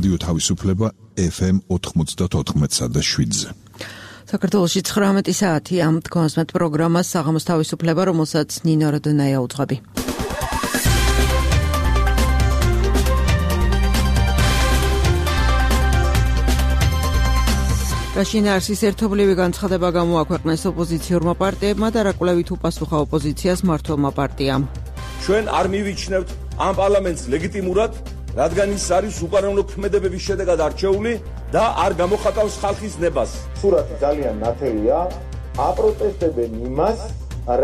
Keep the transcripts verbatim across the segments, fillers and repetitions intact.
რადიო თავისუფლება ეფ ემ ოთხმოცდაოთხ და შვიდზე. საქართველოში ცხრამეტი საათი ამ თქმასმეთ პროგრამას საღამოს თავისუფლება, რომელსაც ნინო როდონაია უძღვები. შინაარსის ერთობლივი განცხადება გამოაქვეყნეს ოპოზიციურმა პარტიებმა და რა კვლევით უპასუხა ოპოზიციას მმართველმა პარტიამ. ჩვენ არ მივიჩნევთ ამ პარლამენტს ლეგიტიმურად, რადგან ის არის უკანონო ქმედებების შედეგად არჩეული და არ გამოხატავს ხალხის ნებას. სურათი ძალიან ნათელია, აპროტესტებენ იმას,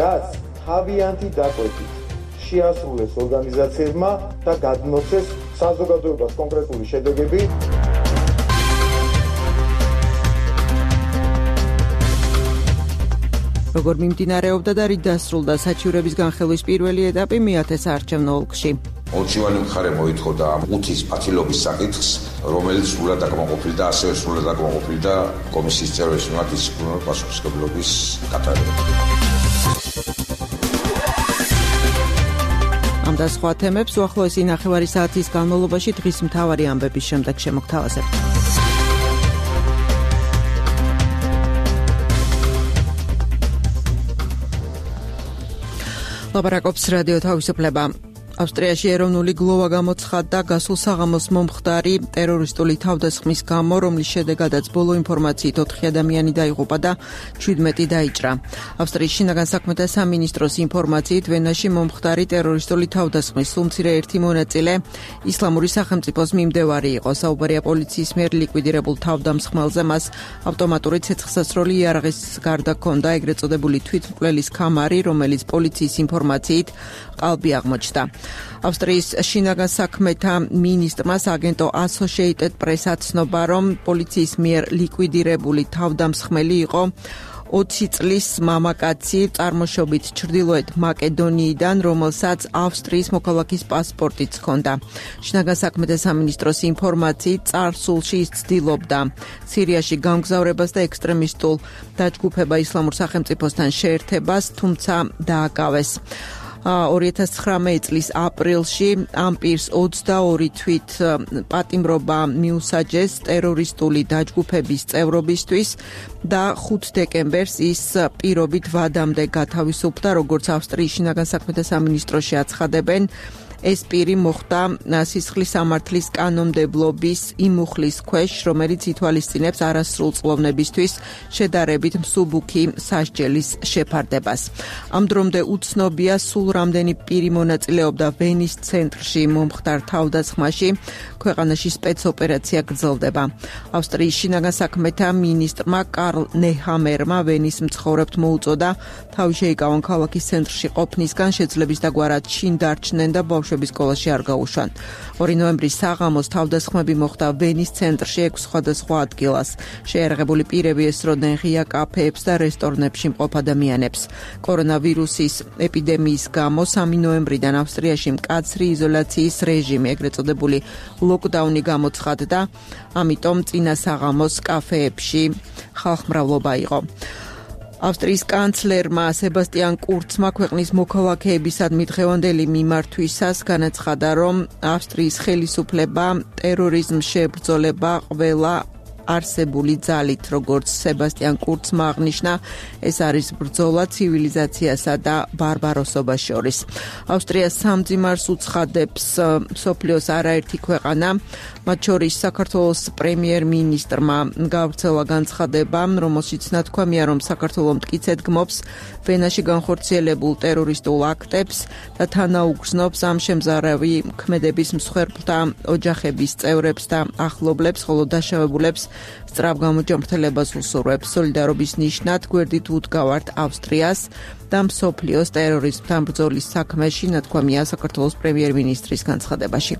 რაც თავიანთი დაკვეთით შეასრულეს ორგანიზაციებმა და გადმოცეს საზოგადოებას კონკრეტული შედეგები. როგორ მიმდინარეობდა და რით დასრულდა საჩივრების განხილვის პირველი ეტაპი მეათე საარჩევნო ოლქში. ორჩივანი მხარე მოითხოვდა ამ უთის პათილობის საკითხს, რომელიც სრულად აკმაყოფილდა, ასევე სრულად აკმაყოფილდა კომისიის წევრების მიმართ დისციპლინარული პასუხისმგებლობის გატარება. ამ და სხვა თემებს უახლოესი ნახევარი საათის განმავლობაში დღის მთავარი ამბების შემდეგ შემოგთავაზებთ. ლაპარაკობს რადიო თავისუფლება. ავსტრიაში ეროვნული გლოვა გამოცხადდა გასულ საღამოს მომხდარი ტერორისტული თავდასხმის გამო, რომლის შედეგადაც ბოლო ინფორმაციით ოთხი ადამიანი დაიღუპა და შვიდმეტი დაიჭრა. ავსტრიის შინაგან საქმეთა სამინისტროს ინფორმაციით ვენაში მომხდარი ტერორისტული თავდასხმის სულ მცირე ერთი მონაწილე ისლამური სახელმწიფოს მიმდევარი იყო. საუბარია პოლიციის მიერ ლიკვიდირებულ თავდამსხმელზე, მას ავტომატური ცეცხლსასროლი იარაღის გარდა ჰქონდა ეგრეთ წოდებული თვითმკვლელის კამარი, რომელიც პოლიციის ინფორმაციით ყალბი აღმოჩნდა. ავსტრიის შინაგან საქმეთა მინისტრმა აგენტო Associated Press-ს ცნობა, რომ პოლიციის მიერ ლიკვიდირებული თავდამსხმელი იყო ოცი წლის მამაკაცი წარმოშობით ჩრდილოეთ მაკედონიიდან, რომელსაც ავსტრიის მოქალაქის პასპორტიც ჰქონდა. შინაგან საქმეთა სამინისტროს ინფორმაციით წარსულში ის ცდილობდა სირიაში გამგზავრებას და ექსტრემისტულ დაჯგუფება ისლამურ სახელმწიფოსთან შეერთებას, თუმცა დააკავეს. ორი ათას ცხრამეტი წლის აპრილში ამ პირს ოცდაორი თვით პატიმრობა მიუსაჯეს ტერორისტული დაჯგუფების წევრობისთვის და ხუთი დეკემბერს ის პირობით ვადამდე გათავისუფლდა, როგორც ავსტრიის შინაგან საქმეთა სამინისტროში აცხადებენ. ეს პირი მოხვდა სისხლის სამართლის კანონმდებლობის იმ მუხლის ქვეშ, რომელიც ითვალისწინებს არასრულ წლოვნებისთვის შედარებით მსუბუქი სასჯელის შეფარდებას. ამ დრომდე უცნობია, სულ რამდენი პირი მონაწილეობდა ვენის ცენტრში მომხდარ თავდასხმაში. ქვეყანაში სპეცოპერაცია გრძელდება. ავსტრიის შინაგან საქმეთა მინისტრმა კარლ ნეჰამერმა ვენის მცხოვრებთ მოუწოდა თავი შეიკავონ ქალაქის ცენტრში ყოფნისგან, შეძლების დაგვარად შინ დარჩნენ და ბავშვების სკოლაში არ გაუშვან. ორი ნოემბრის საღამოს თავდასხმები მოხდა ვენის ცენტრში ექვს სხვადასხვა ადგილას. შეიარაღებული პირები ესროდნენ ღია კაფეებს და რესტორნებში მყოფ ადამიანებს. კორონავირუსის ეპიდემიის გამო სამი ნოემბრიდან ავსტრიაში მკაცრი იზოლაციის რეჟიმი, ეგრეთ წოდებული ლოკდაუნი გამოცხადდა, ამიტომ წინა საღამოს კაფეებში ხალხმრავლობა იყო. ავსტრიის კანცლერმა სებასტიან კურცმა ქვეყნის მოქალაქეებისადმი დღევანდელი მიმართვისას განაცხადა, რომ ავსტრიის ხელისუფლება ტერორიზმს შეებრძოლება ყველა არსებული ძალით, როგორც სებასტიან კურცმა აღნიშნა, ეს არის ბრძოლა ცივილიზაციასა და ბარბაროსობას შორის. ავსტრია სამძიმარს უცხადებს მსოფლიოს არაერთი ქვეყანა, მათ შორის საქართველოს პრემიერ-მინისტრმა გავრცელა განცხადება, რომელშიც ნათქვამია, რომ საქართველო მტკიცედ გმობს ვენაში განხორციელებულ ტერორისტულ აქტებს და თანაუგრძნობს ამ შემზარავი ქმედების მსხვერპლთა ოჯახების წევრებს და ახლობლებს, ხოლო დაშავებულებს სწრაფ გამოჯანმრთელებას უსურვებს. სოლიდარობის ნიშნად გვერდით უდგავართ ავსტრიას და მსოფლიოს ტერორიზმთან ბრძოლის საქმეში, ნათქვამია საქართველოს პრემიერ-მინისტრის განცხადებაში.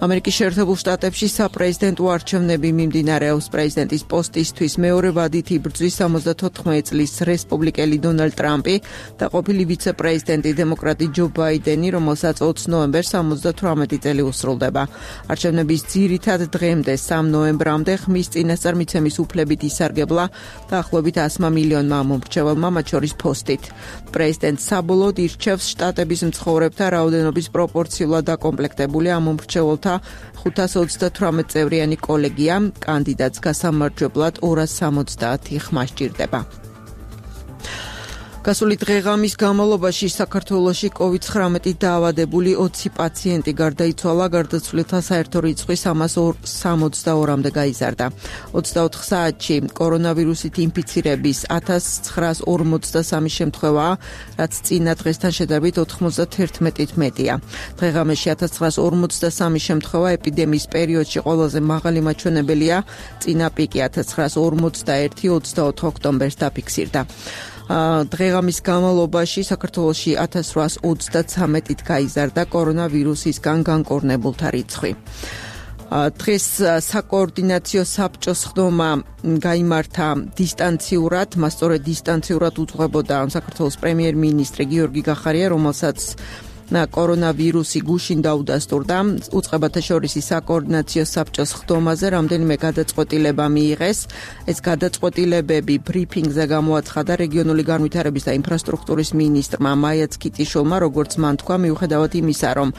ამერიკის შეერთებულ შტატებში საპრეზიდენტო არჩევნები მიმდინარეობს. პრეზიდენტის პოსტისთვის მეორე ვადით იბრძვის სამოცდათოთხმეტი წლის რესპუბლიკელი დონალდ ტრამპი და ყოფილი ვიცე-პრეზიდენტი დემოკრატი ჯო ბაიდენი, რომელსაც ოცი ნოემბერს სამოცდათვრამეტი წელი უსრულდება. არჩევნების ძირითად დღემდე, სამ ნოემბრამდე ხმის წინა წინასწარმიცემის უფლებით ისარგებლა დაახლოებით ასმა მილიონმა მომრჩეველმა, მათ შორის ფოსტით. პრეზიდენტ საბოლოოდ ირჩევს შტატების მცხოვრებთა რაოდენობის პროპორციულად დაკომპლექტებული ამ მომრჩეველთა ხუთას ოცდათვრამეტ წევრიანი კოლეგია, კანდიდატს გასამარჯვებლად ორას სამოცდაათი ხმა სჭირდება. გასული დღეღამის განმავლობაში საქართველოში კოვიდ ცხრამეტი დაავადებული ოცი პაციენტი გარდაიცვალა, გარდაცვლილთა საერთო რიცხვი სამას სამოცდაორამდე გაიზარდა. ოცდაოთხ საათში კორონავირუსით ინფიცირების ათას ცხრაას ორმოცდასამი შემთხვევაა, რაც წინა დღესთან შედარებით ოთხმოცდათერთმეტით მეტია. დღეღამეში ათას ცხრაას ორმოცდასამი შემთხვევა ეპიდემიის პერიოდში ყველაზე მაღალი მაჩვენებელია, წინა პიკი ათას ცხრაას ორმოცდაერთი ოცდაოთხ ოქტომბერს დაფიქსირდა. დღეღამის განმავლობაში საქართველოში ათას რვაას ოცდაცამეტით გაიზარდა კორონავირუსისგან განკორნებულთა რიცხვი. დღეს საკოორდინაციო საბჭოს ხდომა გაიმართა დისტანციურად, მას სწორედ დისტანციურად უძღვებოდა საქართველოს პრემიერ-მინისტრი გიორგი გახარია, რომელსაც კორონავირუსი გუშინ დაუდასტურდა. უწყებათა შორის საკოორდინაციო საბჭოს ხდომაზე რამდენიმე გადაწყვეტილება მიიღეს. ეს გადაწყვეტილებები ბრიფინგზე გამოაცხადა რეგიონული განვითარების და ინფრასტრუქტურის მინისტრმა მაია ცქიტიშვილმა, როგორც მან თქვა, მიუხედავად იმისა, რომ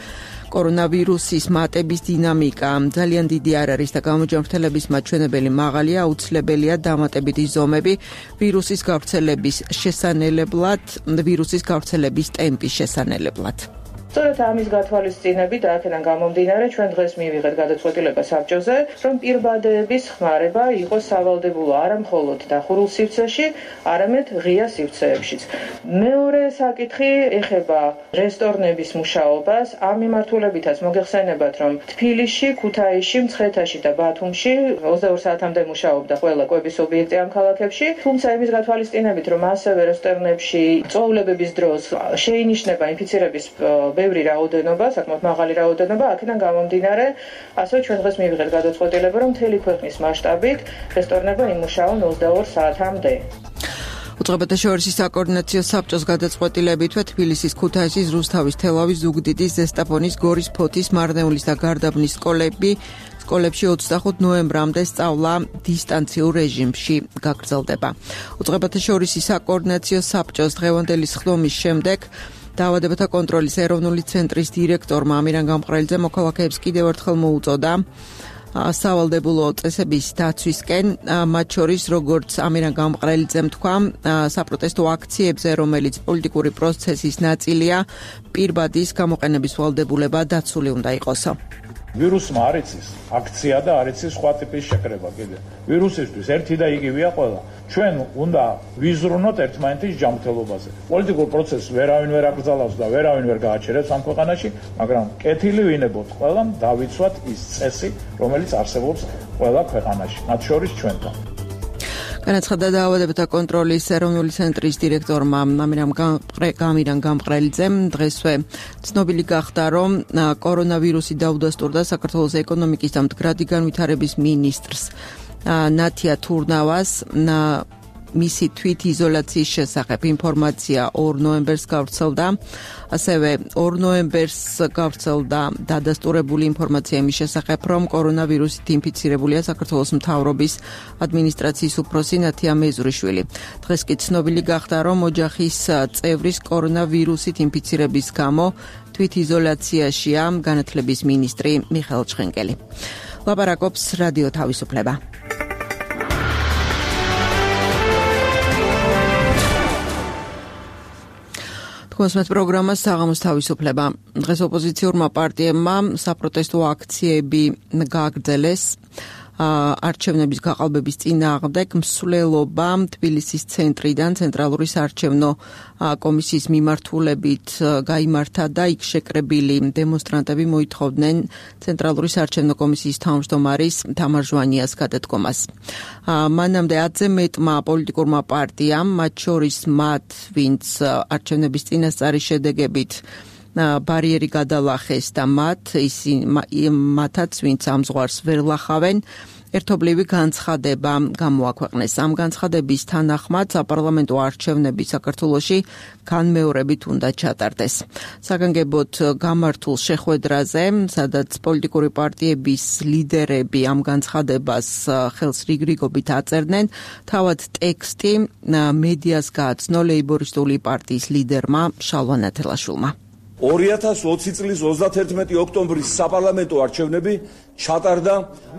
კორონავირუსის მატების დინამიკა ძალიან დიდი არ არის და გამოჯანმრთელების მაჩვენებელი მაღალია, აუცილებელია დამატებითი ზომები ვირუსის გავრცელების შესანელებლად, ვირუსის გავრცელების ტემპის შესანელებლად. სწორედ ამის გათვალისწინებით და აქედან გამომდინარე ჩვენ დღეს მივიღეთ გადაწყვეტილება საბჭოზე, რომ პირბადეების ხმარება იყოს სავალდებულო არა მხოლოდ დახურულ სივრცეში, არამედ ღია სივრცეებშიც. მეორე საკითხი ეხება რესტორნების მუშაობას. ამ მიმართულებითაც მოგეხსენებათ, რომ თბილისში, ქუთაისში, მცხეთაში და ბათუმში ოცდაორ საათამდე მუშაობდა ყველა კვების ობიექტი ამ ქალაქებში, თუმცა იმის გათვალისწინებით, რომ ასევე რესტორნებში წვეულებების დროს შეინიშნება ინფიცირების ბევრი რაოდენობა, საკმაოდ მაღალი რაოდენობა, აქედან გამომდინარე, ასევე ჩვენ დღეს მივიღეთ გადაწყვეტილება, რომ მთელი ქვეყნის მასშტაბით რესტორნები იმუშაონ ოცდაორ საათამდე. უწყებათა შორის საკოორდინაციო საბჭოს გადაწყვეტილებითვე თბილისის, ქუთაისის, რუსთავის, თელავის, ზუგდიდის, ზესტაფონის, გორის, ფოთის, მარნეულის და გარდაბნის სკოლები სკოლებში ოცდახუთ ნოემბრამდე სწავლა დისტანციურ რეჟიმში გაგრძელდება. უწყებათა შორის საკოორდინაციო საბჭოს დღევანდელი სხდომის შემდეგ დაავადებათა კონტროლის ეროვნული ცენტრის დირექტორმა ამირან გამყრელიძე მოქალაქეებს კიდევ ერთხელ მოუწოდა სავალდებულო წესების დაცვისკენ, მათ შორის როგორც ამირან გამყრელიძემ თქვა, საპროტესტო აქციებზე, რომელიც პოლიტიკური პროცესის ნაწილია, პირბადის გამოყენების ვალდებულება დაცული უნდა იყოსო. ვირუსმა არ იცის აქცია და არ იცის სხვა ტიპის შეკრება კიდე. ვირუსისთვის ერთი და იგივეა ყველა. ჩვენ უნდა ვიზრუნოთ ერთმანეთის ჯანმრთელობაზე. პოლიტიკურ პროცესს ვერავინ ვერ აკრძალავს და ვერავინ ვერ გააჩერებს ამ ქვეყანაში, მაგრამ კეთილი ვინებოთ ყველამ დავიცვათ ის წესი, რომელიც არსებობს ყველა ქვეყანაში, მათ შორის ჩვენთან. განაცხადა დაავადებათა კონტროლის ეროვნული ცენტრის დირექტორმა ამირან გამყრელიძემ. დღესვე ცნობილი გახდა, რომ კორონავირუსი დაუდასტურდა საქართველოს ეკონომიკის და მდგრადი განვითარების მინისტრს ნათია თურნავას. მისი თვით იზოლაციის შესახებ ინფორმაცია ორ ნოემბერს გავრცელდა. ასევე ორ ნოემბერს გავრცელდა დადასტურებული ინფორმაცია იმის შესახებ, რომ კორონავირუსით ინფიცირებულია საქართველოს მთავრობის ადმინისტრაციის უფროსი ნათია მეზურიშვილი. დღეს კი ცნობილი გახდა, რომ ოჯახის წევრის კორონავირუსით ინფიცირების გამო თვით იზოლაციაშია განათლების მინისტრი მიხეილ ჩხენკელი. ლაპარაკობს რადიო თავისუფლება. კონსმეთ პროგრამა საღამოს თავისუფლება. დღეს ოპოზიციურმა პარტიებმა საპროტესტო აქციები გააგრძელეს არჩევნების გაყალბების წინააღმდეგ. მსვლელობა თბილისის ცენტრიდან ცენტრალური საარჩევნო კომისიის მიმართულებით გაიმართა და იქ შეკრებილი დემონსტრანტები მოითხოვდნენ ცენტრალური საარჩევნო კომისიის თავმჯდომარის თამარ ჟვანიას გადადგომას. მანამდე ათზე მეტმა პოლიტიკურმა პარტიამ, მათ შორის მათ, ვინც არჩევნების წინასწარი შედეგებით ბარიერი გადალახეს და მათ ისინი მათაც ვინც ამ ზღვარს ვერ ლახავენ, ერთობლივი განცხადება გამოაქვეყნეს. ამ განცხადების თანახმად საპარლამენტო არჩევნები საქართველოში განმეორებით უნდა ჩატარდეს. საგანგებოდ გამართულ შეხვედრაზე, სადაც პოლიტიკური პარტიების ლიდერები ამ განცხადებას ხელს რიგრიგობით აწერდნენ, თავად ტექსტი მედიას გააცნო ლეიბორისტული პარტიის ლიდერმა შალვა ნათელაშვილმა. ორი ათას ოცი წლის ოცდაათერთმეტი ოქტომბრის საპარლამენტო არჩევნები ჩატარდა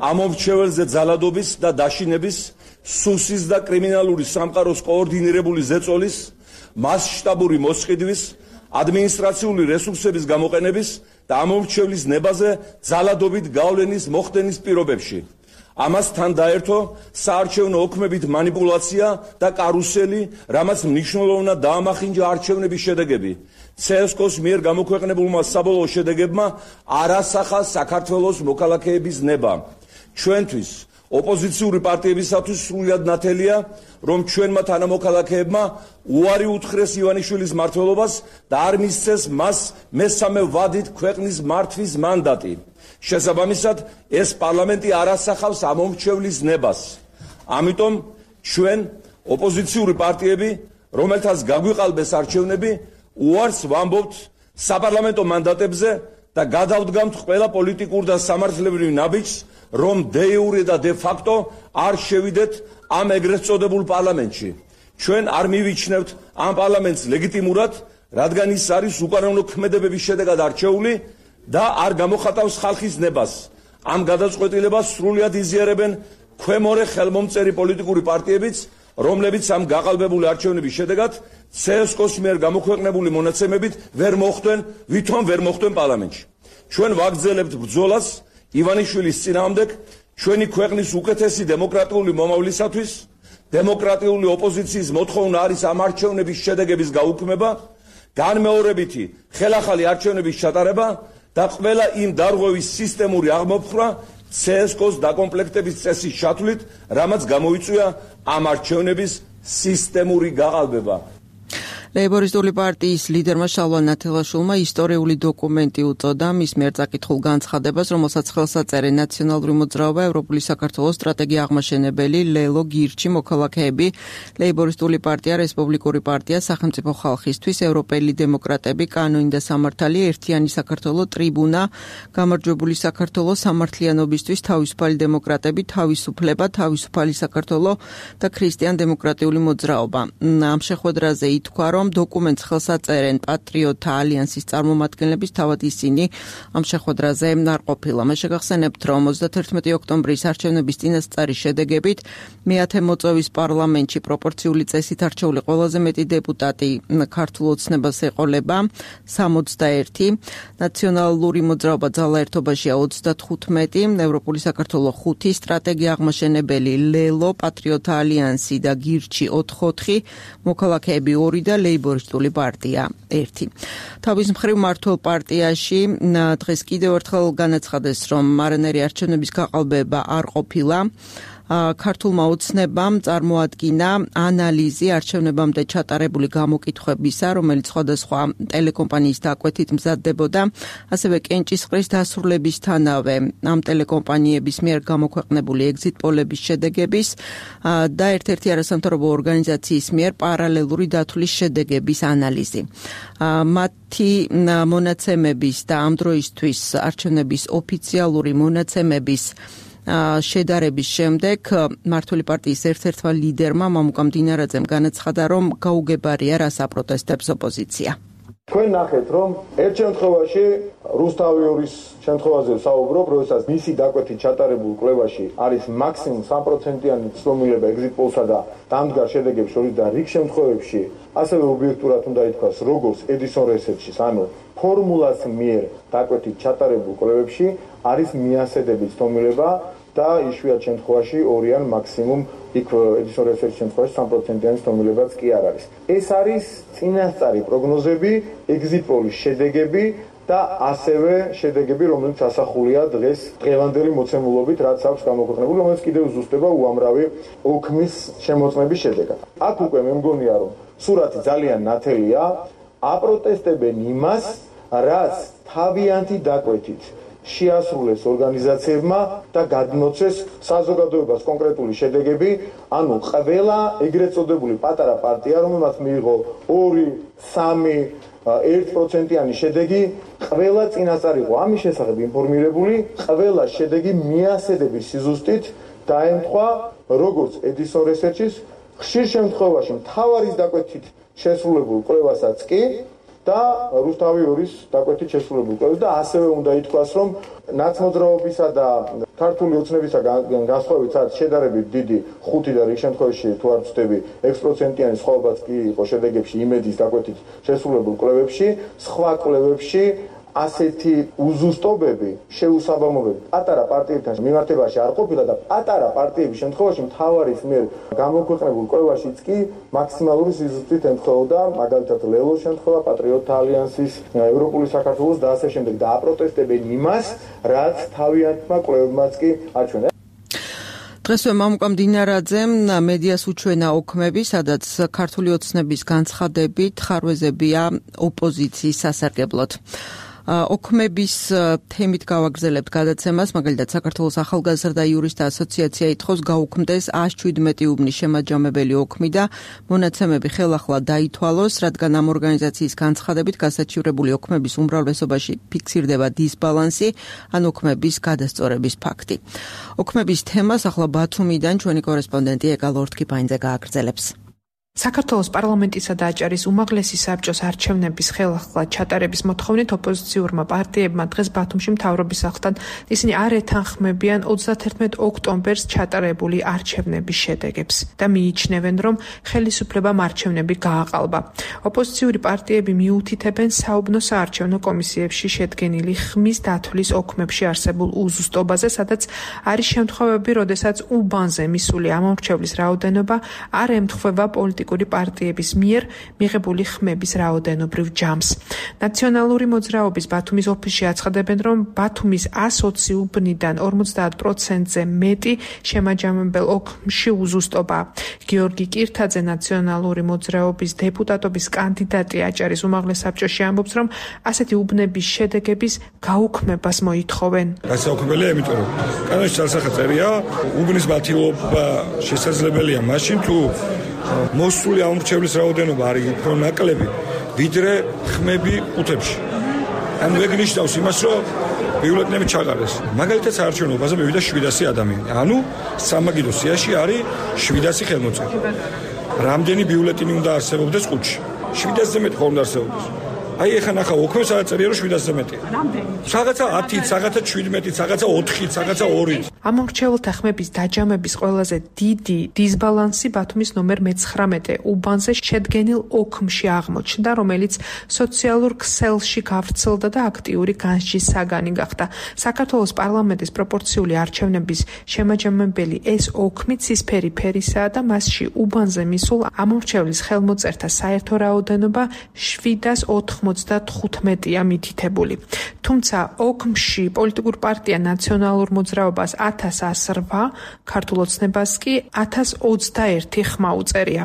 ამომრჩეველზე ძალადობის და დაშინების, სუსის და კრიმინალური სამყაროს კოორდინირებული ზეწოლის, მასშტაბური მოსყიდვის, ადმინისტრაციული რესურსების გამოყენების და ამომრჩევლის ნებაზე ძალადობით გავლენის მოხდენის პირობებში. ამასთან დაერთო საარჩევნო ოქმებით манипуляცია და კარუსელი, რამაც მნიშვნელოვნად დაამახინჯა არჩევნების შედეგები. ცესკოს მიერ გამოქვეყნებულმა საბოლოო შედეგებმა არასახა საქართველოს მოქალაქეების ნება. ჩვენთვის, ოპოზიციური პარტიებისათვის სრულიად ნათელია, რომ ჩვენმა თანამოქალაქეებმა უარი უთხრეს ივანიშვილის მმართველობას და არ მისცეს მას მესამე ვადით ქვეყნის მართვის მანდატი. შესაბამისად, ეს პარლამენტი არ ასახავს ამომრჩევლის ნებას. ამიტომ ჩვენ ოპოზიციური პარტიები, რომელთაც გაგვიყალბეს არჩევნები, უარს ვამბობთ საპარლამენტო მანდატებზე და გადავდგამთ ყველა პოლიტიკურ და სამართლებრივ ნაბიჯს, რომ დე იურე და დე ფაქტო არ შევიდეთ ამ ეგრეთ წოდებულ პარლამენტში. ჩვენ არ მივიჩნევთ ამ პარლამენტს ლეგიტიმურად, რადგან ის არის უკანონო ქმედებების შედეგად არჩეული და არ გამოხატავს ხალხის ნებას. ამ გადაწყვეტილებას სრულიად იზიარებენ ქვემორე ხელმომწერი პოლიტიკური პარტიებიც, რომლებიც ამ გაყალბებული არჩევნების შედეგად ცესკოს მიერ გამოქვეყნებული მონაცემებით ვერ მოხვდნენ, ვითომ ვერ მოხვდნენ პარლამენტში. ჩვენ ვაგრძელებთ ბრძოლას ივანიშვილის წინააღმდეგ ჩვენი ქვეყნის უკეთესი დემოკრატიული მომავლისათვის. დემოკრატიული ოპოზიციის მოთხოვნა არის ამ არჩევნების შედეგების გაუქმება, განმეორებითი ხელახალი არჩევნების ჩატარება და ყველა იმ დარღვევის სისტემური აღმოფხვრა ცესკოს დაკომპლექტების წესის ჩათვლით, რამაც გამოიწვია ამ არჩევნების სისტემური გაყალბება. ლეიბორისტული პარტიის ლიდერმა შალვა ნათელაშვილმა ისტორიული დოკუმენტი უწოდა მის მიერ წაკითხულ განცხადებას, რომელსაც ხელს აწერენ ნაციონალური მოძრაობა, ევროპული საქართველოს სტრატეგია აღმაშენებელი, ლელო, გირჩი, მოქალაქეები, ლეიბორისტული პარტია, რესპუბლიკური პარტია, სახელმწიფო ხალხისთვის, ევროპელი დემოკრატები, კანონი და სამართალი, ერთიანი საქართველო, ტრიბუნა, გამარჯვებული საქართველო, სამართლიანობისთვის, თავისუფალი დემოკრატები, თავისუფლება, თავისუფალი საქართველო და ქრისტიან დემოკრატიული მოძრაობა. ამ შეხვედრაზე ითქვა, რომ დოკუმენტს ხელს აწერენ პატრიოტთა ალიანსის წარმომადგენლების, თავად ისინი ამ შეხვედრაზე არ ყოფილა. მე შეგახსენებთ, რომ ოცდაათერთმეტი ოქტომბრის არჩევნების წინასწარი შედეგებით მეათე მოწვევის პარლამენტში პროპორციული წესით არჩეული ყველაზე მეტი დეპუტატი ქართულ ოცნებას ეყოლება სამოცდაერთი, ნაციონალური მოძრაობა ძალაერთობაშია ოცდათხუთმეტი, ევროპული საქართველო ხუთი, სტრატეგია აღმაშენებელი, ლელო, პატრიოტთა ალიანსი და გირჩი ოთხი, მოქალაქეები ორი და ლეიბორისტული პარტია ერთი. თავის მხრივ მართლ პარტიაში დღეს კიდევ ერთხელ განაცხადეს, რომ არანაირი არჩევნების გაყალბება არ ყოფილა. ქართულმა ოცნებამ წარმოადგინა ანალიზი არჩევნებამდე ჩატარებული გამოკითხვებისა, რომელიც სხვადასხვა ტელეკომპანიის დაკვეთით მზადდებოდა, ასევე კენჭისყრის დასრულებისთანავე ამ ტელეკომპანიების მიერ გამოქვეყნებული ეგზიტ პოლების შედეგების და ერთ-ერთი არასამთავრობო ორგანიზაციის მიერ პარალელური დათვლის შედეგების ანალიზი. მათი მონაცემების და ამ დროისთვის არჩევნების ოფიციალური მონაცემების შედარების შემდეგ მართული პარტიის ერთ-ერთმა ლიდერმა მამუკამ დინარაძემ განაცხადა, რომ გაუგებარია რას აპროტესტებს ოპოზიცია. თქვენ ნახეთ, რომ ერთ შემთხვევაში რუსთავიურის შემთხვევაზე საუბრობ, როდესაც მისი დაკვეთით ჩატარებულ კვლევაში არის მაქსიმუმ სამი პროცენტიანი ცდომილება ეგზიტ პოლსა და დამდგარ შედეგებს შორის და რიგ შემთხვევებში ასევე ობიექტურად უნდა ითქვას, როგორც ედისონ რესერჩის, ანუ ფორმულას მიერ დაკვეთით ჩატარებულ კვლევებში არის მიასედების ცდომილება და იშვიათ შემთხვევაში ორი ან მაქსიმუმ იქ ედისონ რესერჩის შემთხვევაში სამი პროცენტიანი ცდომილებაც კი არ არის. ეს არის წინასწარი პროგნოზები, ეგზიტ პოლის შედეგები და ასევე შედეგები, რომელიც ასახულია დღეს დღევანდელი მოცემულობით, რაც აქვს გამოქვეყნებული, რომელიც კიდევ ზუსტდება უამრავი ოქმის შემოწმების შედეგად. აქ უკვე მე მგონია, რომ სურათი ძალიან ნათელია, აპროტესტებენ იმას, რაც თავიანთი დაკვეთით შეასრულეს ორგანიზაციებმა და გადმოცეს საზოგადოებას კონკრეტული შედეგები, ანუ ყველა ეგრეთ წოდებული პატარა პარტია, რომელმაც მიიღო ორი, სამი, ერთ პროცენტიანი შედეგი, ყველა წინასწარ იყო ამის შესახებ ინფორმირებული, ყველა შედეგი მიასედების სიზუსტით დაემთხვა როგორც Edison Research-ის, ხშირ შემთხვევაში მთავარის დაკვეთით შესრულებულ კვლევასაც კი და რუსთავი ორის დაკვეთით შესრულებულ კვლევას და ასევე უნდა ითქვას, რომ ნაცმოძრაობისა და ქართული ოცნებისა განსხვავებით შედარებით დიდი ხუთი და რიგ შემთხვევაში თუ არ ვცდები ექვს პროცენტიანი სხვაობაც კი იყო შედეგებში იმედის დაკვეთით შესრულებულ კვლევებში, სხვა კვლევებში ასეთი უზუსტობები, შეუსაბამობები პატარა პარტიებთან მიმართებაში არ ყოფილა და პატარა პარტიების შემთხვევაში მთავარის მიერ გამოქვეყნებულ კვლევაშიც კი მაქსიმალური სიზუსტით ემთხვეოდა, მაგალითად ლელოს შემთხვევა, პატრიოტთა ალიანსის, ევროპული საქართველოს და ასე შემდეგ და აპროტესტებენ იმას, რაც თავიანთმა კვლევებმაც კი აჩვენა. დღესვე მამუკა მდინარაძემ მედიას უჩვენა ოქმები, სადაც ქართული ოცნების განცხადებით ხარვეზებია ოპოზიციის სასარგებლოდ. ოქმების თემით გავაგრძელებთ გადაცემას, მაგალითად საქართველოს ახალგაზრდა იურისტთა ასოციაცია ითხოვს გაუქმდეს ას შვიდმეტი უბნის შემაჯამებელი ოქმი და მონაცემები ხელახლა დაითვალოს, რადგან ამ ორგანიზაციის განცხადებით გასაჩივრებული ოქმების უმრავლესობაში ფიქსირდება დისბალანსი, ან ოქმების გადასწორების ფაქტი. ოქმების თემას ახლა ბათუმიდან ჩვენი კორესპონდენტი ეკა ლორთქიფაინძე გააგრძელებს. საქართველოს პარლამენტისა და აჭარის უმაღლესი საბჭოს არჩევნების ხელახლა ჩატარების მოთხოვნით ოპოზიციურმა პარტიებმა დღეს ბათუმში მთავრობის სახლთან ისინი არ ეთანხმებიან ოცდათერთმეტ ოქტომბერს ჩატარებული არჩევნების შედეგებს და მიიჩნევენ, რომ ხელისუფლებამ არჩევნები გააყალბა. ოპოზიციური პარტიები მიუთითებენ საუბნო საარჩევნო კომისიებში შედგენილი ხმის დათვლის ოქმებში არსებულ უზუსტობაზე, სადაც არის შემთხვევები, როდესაც უბანზე მისული ამომრჩევლის რაოდენობა არ ემთხვევა პოლიტიკურ პარტიების მიერ მიღებული ხმების რაოდენობრივ ჯამს. ნაციონალური მოძრაობის ბათუმის ოფისში აცხადებენ, რომ ბათუმის ას ოცი უბნიდან ორმოცდაათ პროცენტზე მეტი შემაჯამებელ ოქმში უზუსტობაა. გიორგი კირთაძე, ნაციონალური მოძრაობის დეპუტატობის კანდიდატი აჭარის უმაღლეს საბჭოში, ამბობს, რომ ასეთი უბნების შედეგების გაუქმებას მოითხოვენ. გასაუქმებელია, იმიტომ რომ კანონში სასახელია, უბნის მათილობა შესაძლებელია მაშინ თუ მოსული ამორჩევლის რაოდენობა არის უფრო ნაკლები, ვიდრე ხმები ყუთებში. ანუ ეგ ნიშნავს იმას, რომ ბიულეტენები ჩაყარეს. მაგალითად საარჩევნო ბაზაზე მივიდა შვიდასი ადამიანი. ანუ სამაგიდო სიაში არის შვიდასი ხელმოწერა. რამდენი ბიულეტენი უნდა არსებობდეს ყუთში? შვიდასზე მეტი ხომ უნდა არსებობდეს? აი ეხლა ნახა ოქმებს აწერია, რომ შვიდასზე მეტია. რამდენი? რაღაცა ათით, რაღაცა შვიდმეტით, რაღაცა ოთხით, რაღაცა ორით. ამორჩეულთა ხმების დაჯამების ყველაზე დიდი დისბალანსი ბათუმის ნომერ მეცხრამეტე უბანზე შედგენილ ოქმში აღმოჩნდა, რომელიც სოციალურ ქსელში გავრცელდა და აქტიური განსჯის საგანი გახდა. საქართველოს პარლამენტის პროპორციული არჩევნების შემაჯამებელი ეს ოქმი ცისფერი ფერისაა და მასში უბანზე მისულ ამორჩევლის ხელმოწერთა საერთო რაოდენობა შვიდას ოთხმოცდათხუთმეტია მითითებული. თუმცა ოქმში პოლიტიკურ პარტია ნაციონალურ მოძრაობას ათას ას რვა, ქართულ ოცნებას კი ათას ოცდაერთი ხმა უწერია.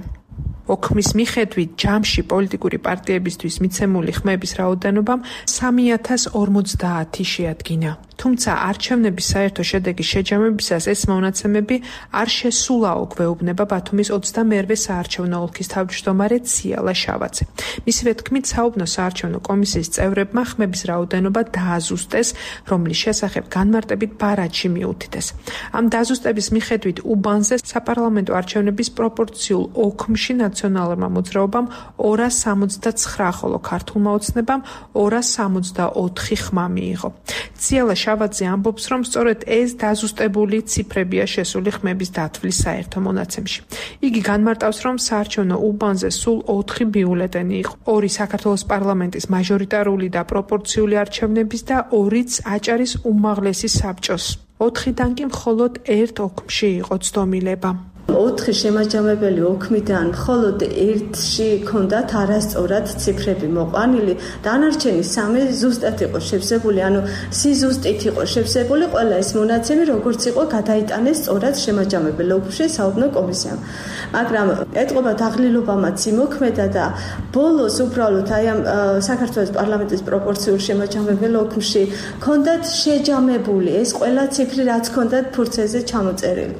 ოქმის მიხედვით ჯამში პოლიტიკური პარტიებისთვის მიცემული ხმების რაოდენობამ სამი ათას ორმოცდაათი შეადგინა. თუმცა არჩევნების საერთო შედეგის შეჯამებისას ეს მონაცემები არ შესულაო, გვეუბნება ბათუმის ოცდამერვე საარჩევნო ოლქის თავმჯდომარე ციალა შავაძე. მისივე თქმით, საუბნო საარჩევნო კომისიის წევრებმა ხმების რაოდენობა დააზუსტეს, რომლის შესახებ განმარტებით ბარათში მიუთითეს. ამ დაზუსტების მიხედვით უბანზე საპარლამენტო არჩევნების პროპორციულ ოქმში ნაციონალურმა მოძრაობამ ორას სამოცდაცხრა, ხოლო ქართულმა ოცნებამ ორას სამოცდაოთხი ხმა მიიღო. ციალა შავაძე ამბობს, რომ სწორედ ეს დაზუსტებული ციფრებია შესული ხმების დათვლის საერთო მონაცემში. იგი განმარტავს, რომ საარჩევნო უბანზე სულ ოთხი ბიულეტენი იყო. ორი საქართველოს პარლამენტის მაჟორიტარული და პროპორციული არჩევნების და ორიც აჭარის უმაღლესი საბჭოს. ოთხიდან კი მხოლოდ ერთ ოქმში იყო ცდომილება. ოთხი შემაჯამებელი ოქმიდან მხოლოდ ერთში ჰქონდათ არასწორად ციფრები მოყვანილი, დანარჩენი სამი ზუსტად იყო შევსებული, ანუ სიზუსტით იყო შევსებული ყველა ეს მონაცემი, როგორც იყო გადაიტანეს სწორად შემაჯამებელ ოქმში საუბნო კომისიამ. მაგრამ ეტყობა დაღლილობამაც იმოქმედა და ბოლოს უბრალოდ აი ამ საქართველოს პარლამენტის პროპორციულ შემაჯამებელ ოქმში ჰქონდათ შეჯამებული ეს ყველა ციფრი, რაც ჰქონდათ ფურცელზე ჩამოწერილი.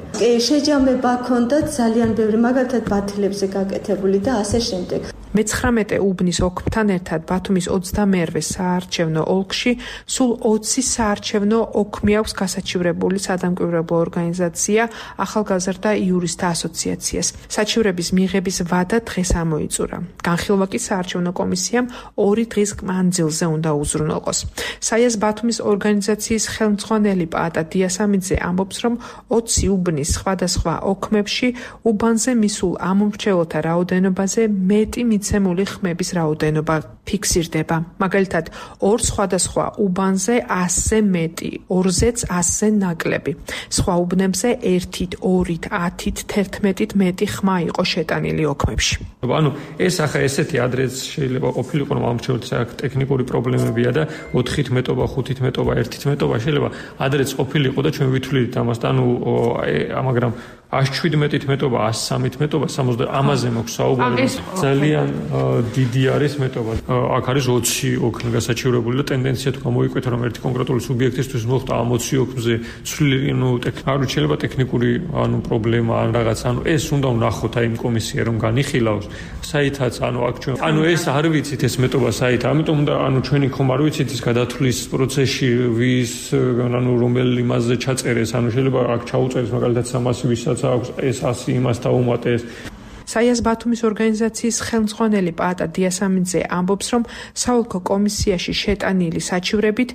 შეჯამება ჰქონდათ ძალიან ბევრი, მაგალითად ბათილებზე გაკეთებული და ასე შემდეგ. მეცხრამეტე უბნის ოქმთან ერთად ბათუმის ოცდამეერვე საარჩევნო ოლქში სულ ოცი საარჩევნო ოქმი აქვს გასაჩივრებული სადამკვირვებლო ორგანიზაცია ახალგაზრდა იურისტთა ასოციაციას. საჩივრების მიღების ვადა დღეს ამოიწურა. განხილვა კი საარჩევნო კომისიამ ორი დღის მანძილზე უნდა უზრუნველყოს. საიას ბათუმის ორგანიზაციის ხელმძღვანელი პაატა დიასამიძე ამბობს, რომ ოცი უბნის სხვადასხვა ოქმებში უბანზე მისულ ამომრჩეველთა რაოდენობაზე მეტი მიცემული ხმების რაოდენობა ფიქსირდება. მაგალითად, ორ სხვადასხვა უბანზე ასზე მეტი, ორზეც ასზე ნაკლები. სხვა უბნებზე ერთით, ორით, ათით, თერთმეტით მეტი ხმა იყო შეტანილი ოქმებში. ანუ ეს ახლა ესეთი ადრეც შეიძლება ყოფილიყო, რომ ამრჩეველთა აქ ტექნიკური პრობლემებია და ოთხით მეტობა, ხუთით მეტობა, ერთით მეტობა შეიძლება ადრეც ყოფილიყო და ჩვენ ვითვლით ამას, ანუ მაგრამ ას შვიდმეტით მეტობა, ას სამით მეტობა, სამოცდა ამაზე მოქვს საუბარი. ძალიან დიდი არის მეტობა. აქ არის ოცი ოქმი გასაჩივრებული და ტენდენცია თუ გამოიკვეთა, რომ ერთი კონკრეტული სუბიექტისთვის მოხდა ამ ოცი ოქმზე ცვლილი, ნუ ტექნიკური შეიძლება ტექნიკური ანუ პრობლემა ან რაღაც, ანუ ეს უნდა ვნახოთ აი იმ კომისია რომ განიხილავს. საითაც ანუ აქ ჩვენ ანუ ეს არ ვიცით ეს მეტობა საით, ამიტომ უნდა ანუ ჩვენი ხომ არ ვიცით ის გადათვლის პროცესში ვის ანუ რომელი იმაზე ჩაწერეს, ანუ შეიძლება აქ ჩაუწერეს მაგალითად სამასი ვისაც აქვს ეს ასი იმას დაუმატეს. საიას ბათუმის ორგანიზაციის ხელმძღვანელი პაატა დიასამიძე ამბობს, რომ საოლქო კომისიაში შეტანილი საჩივრებით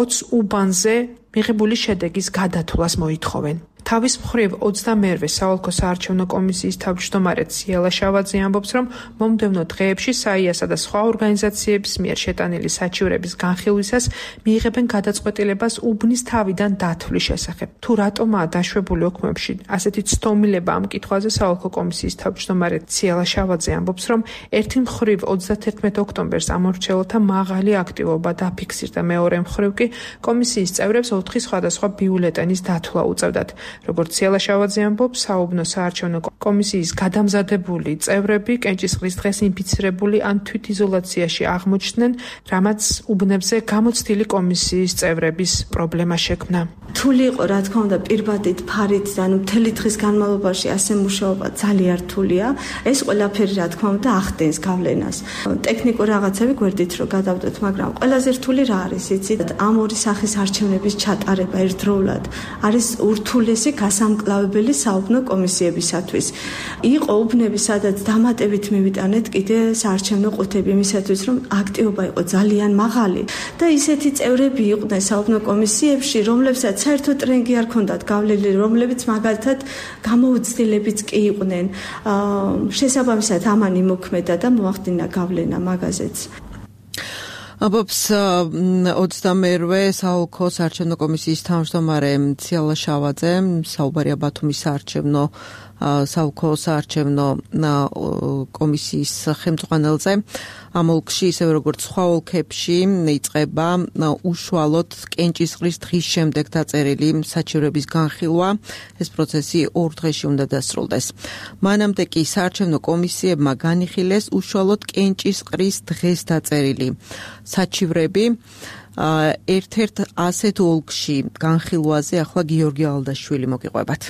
ოც უბანზე მიღებული შედეგის გადათვლას მოითხოვენ. თავის მხრივ ოცდამეერვე საოლქო საარჩევნო კომისიის თავმჯდომარე ციალა შავაძე ამბობს, რომ მომდევნო დღეებში საიასა და სხვა ორგანიზაციების მიერ შეტანილი საჩივრების განხილვისას მიიღებენ გადაწყვეტილებას უბნის თავიდან დათვლის შესახებ. თუ რატომაა დაშვებული ოქმებში ასეთი ცდომილება ამ კითხვაზე საოლქო კომისიის თავმჯდომარე ციალა შავაძე ამბობს, რომ ერთი მხრივ ოცდათერთმეტ ოქტომბერს ამორჩეულთა მაღალი აქტივობა დაფიქსირდა, მეორე მხრივ კი კომისიის წევრებს ოთხი სხვადასხვა ბიულეტენის დათვლა უწევდათ. როგორც ციალა შავაძე ამბობს, საუბნო საარჩევნო კომისიის გადამზადებული წევრები კენჭისყრის დღეს ინფიცირებული ან თვითიზოლაციაში აღმოჩნდნენ, რამაც უბნებზე გამოცდილი კომისიის წევრების პრობლემა შექმნა. რთული იყო, რა თქმა უნდა, პირბადით, ფარით და ანუ მთელი დღის განმავლობაში ასე მუშაობა ძალიან რთულია. ეს ყველაფერი, რა თქმა უნდა, ახდენს გავლენას. ტექნიკურ რაღაცები გვერდით რომ გადავდოთ, მაგრამ ყველაზე რთული რა არის, იცით? ამ ორი სახის არჩევნების ჩატარება ერთდროულად არის ურთულესი გასამკლავებელი საუბნო კომისიებისათვის. იყო უბნები, სადაც დამატებით მივიტანეთ კიდე საარჩევნო ყუთები იმისათვის, რომ აქტივობა იყო ძალიან მაღალი და ისეთი წევრები იყვნენ საუბნო კომისიებში, რომლებსაც საერთოდ ტრენგი არ ქონდათ გავლილი, რომლებიც მაგალითად გამოუცდილებიც კი იყვნენ. შესაბამისად ამან იმოქმედა და მოახდინა გავლენა მაგაზეც. ამბობს ოცდამეერვე საოლქო საარჩევნო კომისიის თავმჯდომარე ციალა შავაძე. საუბარია ბათუმის საარჩევნო საოლქო საარჩევნო კომისიის ხელმძღვანელზე. ამ ოლქში, ისევე როგორც სხვა ოლქებში, იწყება უშუალოდ კენჭისყრის დღის შემდეგ დაწერილი საჩივრების განხილვა. ეს პროცესი ორ დღეში უნდა დასრულდეს. მანამდე კი საარჩევნო კომისიებმა განიხილეს უშუალოდ კენჭისყრის დღეს დაწერილი საჩივრები. ერთ-ერთ ასეთ ოლქში განხილვაზე ახლა გიორგი ალდაშვილი მოგიყვებათ.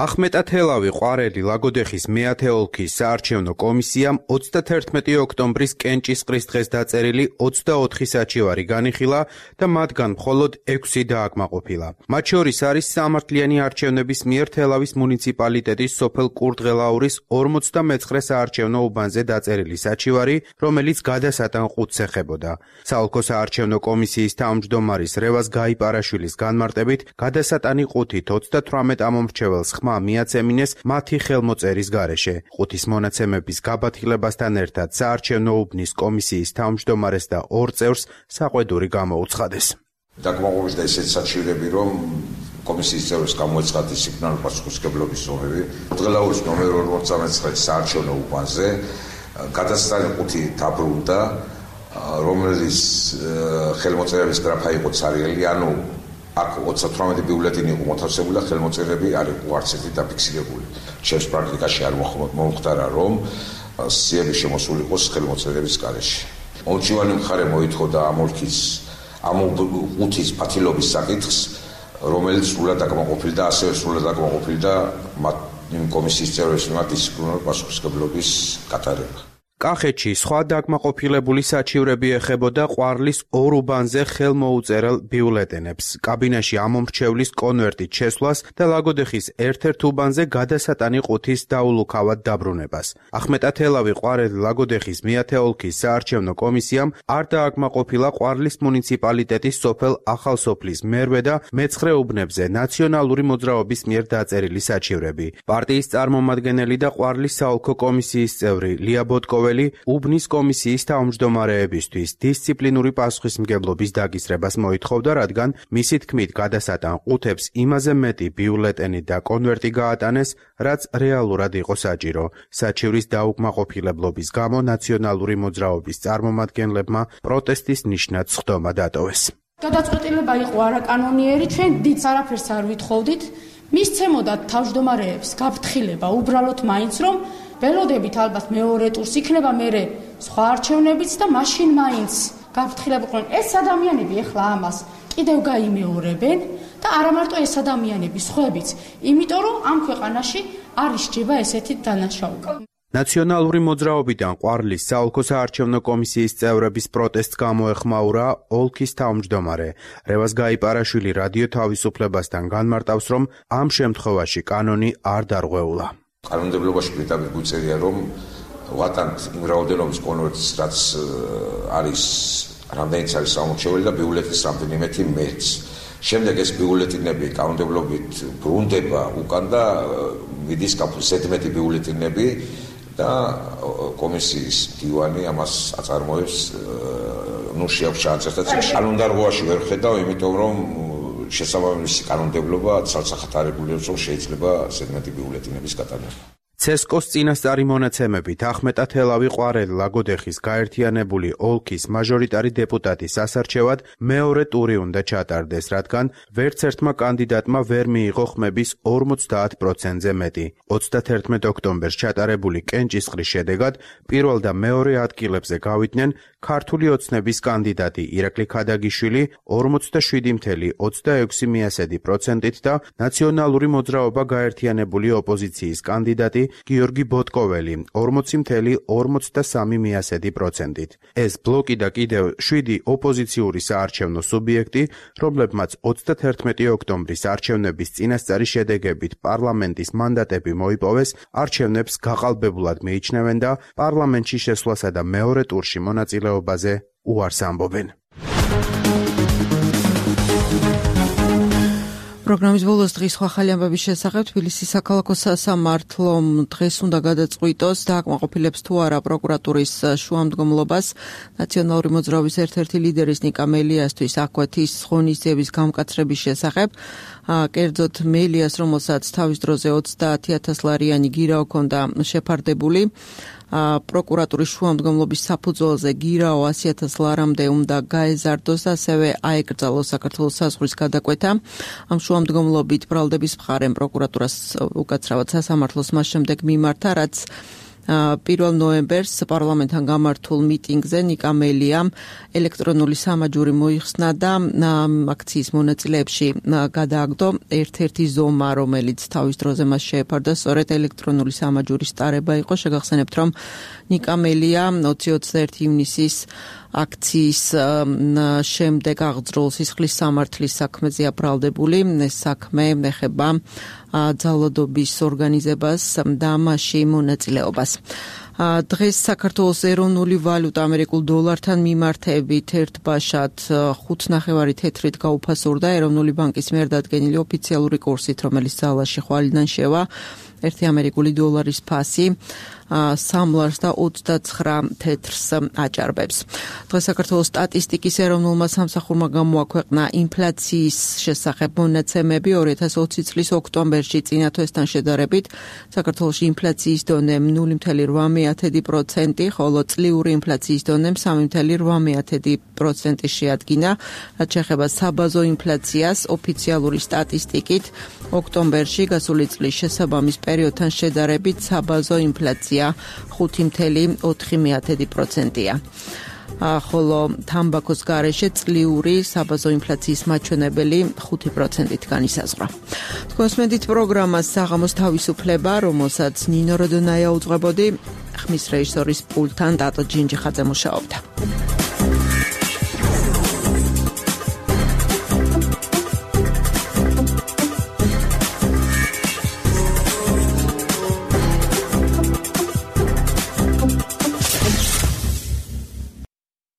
ახმეტათელავი, ყვარელი, ლაგოდეხის მეათე ოლქის საარჩევნო კომისიამ ოცდათერთმეტი ოქტომბრის კენჭისყრის დღეს დაწერილი ოცდაოთხი საჩივარი განიხილა და მათგან მხოლოდ ექვსი დააკმაყოფილა. მათ შორის არის სამართლიანი არჩევნების მიერ თელავის მუნიციპალიტეტის სოფელ კურდღელაურის ორმოცდამეცხრე საარჩევნო უბანზე დაწერილი საჩივარი, რომელიც გადასატან ყუთს ეხებოდა. საოლქო საარჩევნო კომისიის თავმჯდომარის რევაზ გაიპარაშვილის განმარტებით, გადასატანი ყუთით ოცდათვრამეტ ამომრჩეველს ხმა მიაცემინეს მათი ხელმოწერის გარეშე. ყუთის მონაცემების გაბათილებასთან ერთად საარჩევნო უბნის კომისიის თავმჯდომარეს და ორ წევრს საყვედური გამოუცხადეს. დაკმაყოფილდა ესეთ საჩივრები, რომ კომისიის წევრებს გამოეცხადათ დისციპლინარული პასუხისმგებლობის ზომები. დღელაურის ნომერ ორმოცდამეცხრე საარჩევნო უბანზე გადასტანი ხუთი დაბრუნდა, რომელიც ხელმოწერების გრაფა იყო ცარიელი, ანუ აქ ოცდათვრამეტი ბიულეტენი იყო მოთავსებული და ხელმოწერები არ იყო არც ერთი დაფიქსირებული. ჩემს პრაქტიკაში არ მომხდარა, რომ სიები შემოსული იყოს ხელმოწერების გარეშე. მომჭივანი მხარე მოითხოვდა ამ ოლქის ამ ხუთის ფათილობის საკითხს, რომელიც სრულად აკმაყოფილდა, ასევე სრულად აკმაყოფილდა მათ იმ კომისიის წევრებს მიმართ დისციპლინარული პასუხისმგებლობის გატარება. კახეთში სხვა დაკმაყოფილებული საჩივრები ეხებოდა ყვარლის ორ უბანზე ხელმოუწერელ ბიულეტენებს, კაბინაში ამომრჩევლის კონვერტით შესვლას და ლაგოდეხის ერთ-ერთ უბანზე გადასატანი ყუთის დაულუქავად დაბრუნებას. ახმეტათელავი ყვარელი ლაგოდეხის მეათე ოლქის საარჩევნო კომისიამ არ დააკმაყოფილა ყვარლის მუნიციპალიტეტის სოფელ ახალსოფლის მერვე და მეცხრე უბნებზე ნაციონალური მოძრაობის მიერ დაწერილი საჩივრები. პარტიის წარმომადგენელი და ყვარლის საოლქო კომისიის წევრი ლია ბოტკოველი უბნის კომისიის თავმჯდომარეებისთვის დისციპლინური პასუხისმგებლობის დაკისრებას მოითხოვდა, რადგან მისი თქმით გადასატან ყუთებს იმაზე მეტი ბიულეტენი და კონვერტი გაატანეს, რაც რეალურად იყო საჭირო. საჩივრის დაუკმაყოფილებლობის გამო ნაციონალური მოძრაობის წარმომადგენლებმა პროტესტის ნიშნად სხდომა დატოვეს. გადაწყვეტილება იყო არაკანონიერი, ჩვენ დიდს არაფერს არ ვითხოვდით, მისცემოდათ თავმჯდომარეებს გაფრთხილება უბრალოდ მაინც რომ ველოდებით ალბათ მეორე ტურს იქნება მერე სხვა არჩევნებიც და მაშინ მაინც გაფრთხილებულყვნენ ეს ადამიანები ეხლა ამას კიდევ გაიმეორებენ და არა მარტო ეს ადამიანები, სხვაებიც, იმიტომ რომ ამ ქვეყანაში არ ისჯება ესეთი დანაშაული. ნაციონალური მოძრაობიდან ყვარლის საოლქო საარჩევნო კომისიის წევრების პროტესტს გამოეხმაურა ოლქის თავმჯდომარე. რევაზ გაიპარაშვილი რადიო თავისუფლებასთან განმარტავს, რომ ამ შემთხვევაში კანონი არ დარღვეულა. კანონმდებლობაში პირდაპირ გვიწერია, რომ ვატანთ იმ რაოდენობის კონვერტს, რაც არის რამდენიც არის სამორჩეველი და ბიულეტენის რამდენიმეთი მეც. შემდეგ ეს ბიულეტენები კანონმდებლობით ბრუნდება უკან და მიდის ზედმეტი ბიულეტენები და კომისიის დივანი ამას აწარმოებს, ნუ შეაქვს ჩაწერთა წიგნში. კანონდარღვევაში ვერ ხედავ, იმიტომ რომ შესაბამისი კანონმდებლობა ცალსახატარებულებს, რომ შეიძლება ზედმეტი ბიულეტენების გატანება. ცესკოს წინასწარი მონაცემებით ახმეტათელავი ყვარელი ლაგოდეხის გაერთიანებული ოლქის მაჟორიტარი დეპუტატის ასარჩევად მეორე ტური უნდა ჩატარდეს, რადგან ვერც ერთმა კანდიდატმა ვერ მიიღო ხმების ორმოცდაათ პროცენტზე მეტი. ოცდათერთმეტ ოქტომბერს ჩატარებული კენჭისყრის შედეგად პირველ და მეორე ადგილებზე გავიდნენ ქართული ოცნების კანდიდატი ირაკლი ქადაგიშვილი ორმოცდაშვიდი целых ოცდაექვსი პროცენტით და ნაციონალური მოძრაობა გაერთიანებული ოპოზიციის კანდიდატი გიორგი ბოტკოველი ორმოცი целых ორმოცდასამი პროცენტით. ეს ბლოკი და კიდევ შვიდი ოპოზიციური საარჩევნო სუბიექტი, რომლებმაც ოცდათერთმეტი ოქტომბრის არჩევნების წინასწარი შედეგებით პარლამენტის მანდატები მოიპოვეს, არჩევნებს გაყალბებულად მიიჩნევენ და პარლამენტში შესვლასა და მეორე ტურში მონაწილეობაზე უარს ამბობენ. პროგრამის ბოლოს დღის სხვა ხალი ამბების შესახებ თბილისის საქალაქო სასამართლომ დღეს უნდა გადაწყვიტოს დააკმაყოფილებს თუ არა პროკურატურის შუამდგომლობას ნაციონალური მოძრაობის ერთ-ერთი ლიდერის ნიკა მელიასთვის აკვეთის ღონისძიების გამკაცრების შესახებ. კერძოდ მელიას, რომელსაც თავის დროზე ოცდაათი ათას ლარიანი გირა ჰქონდა შეფარდებული, პროკურატურის შუამდგომლობის საფუძველზე გირაო ასი ათას ლარამდე უნდა გაეზარდოს და ასევე აეკრძალოს საქართველოს საზღვრის გადაკვეთა. ამ შუამდგომლობით ბრალდების მხარემ პროკურატურას უკაცრავად სასამართლოს მას შემდეგ მიმართა, რაც პირველ ნოემბერს პარლამენტთან გამართულ მიტინგზე ნიკა მელიამ ელექტრონული სამაჯური მოიხსნა და აქციის მონაწილეებში გადააგდო ერთ-ერთი ზომა, რომელიც თავის დროზე მას შეეფარდა, სწორედ ელექტრონული სამაჯურის ტარება იყო. შეგახსენებთ, რომ ნიკა მელია ოცი ოცდაერთი ივნისის აქციის შემდეგ აღძრულ სისხლის სამართლის საქმეზეა ბრალდებული. ეს საქმე ეხება ძალადობის ორგანიზებას და მასში მონაწილეობას. დღეს საქართველოს ეროვნული ვალუტა ამერიკულ დოლართან მიმართებით ერთბაშად ხუთ ნახევარი თეთრით გაუფასურდა ეროვნული ბანკის მიერ დადგენილი ოფიციალური კურსით, რომელიც ძალაში ხვალიდან შევა. ერთი ამერიკული დოლარის ფასი სამ ლარს და ოცდაცხრა თეთრს აჭარბებს. დღეს საქართველოს სტატისტიკის ეროვნულმა სამსახურმა გამოაქვეყნა ინფლაციის შესახებ მონაცემები ორი ათას ოცი წლის ოქტომბერში წინა თვესთან შედარებით. საქართველოში ინფლაციის დონე ნული ფاصლე რვა პროცენტი, ხოლო წლიური ინფლაციის დონე სამი ფاصლე რვა პროცენტი შეადგინა. რაც შეეხება საბაზო ინფლაციას, ოფიციალური სტატისტიკით ოქტომბერში გასული წლის შესაბამის პერიოდთან შედარებით საბაზო ინფლაცია ხუთი ფاصლე ოთხი პროცენტია. ხოლო თამბაქოს გარეშე წლიური საბაზო ინფლაციის მაჩვენებელი ხუთი პროცენტით განისაზღვრა. თქვენსმენდით პროგრამას საღამოს თავისუფლება, რომელსაც ნინო როდონაია უძღვებოდი, ხმის რეჟისორის პულტთან დატო ჯინჯიხაძე მუშაობდა.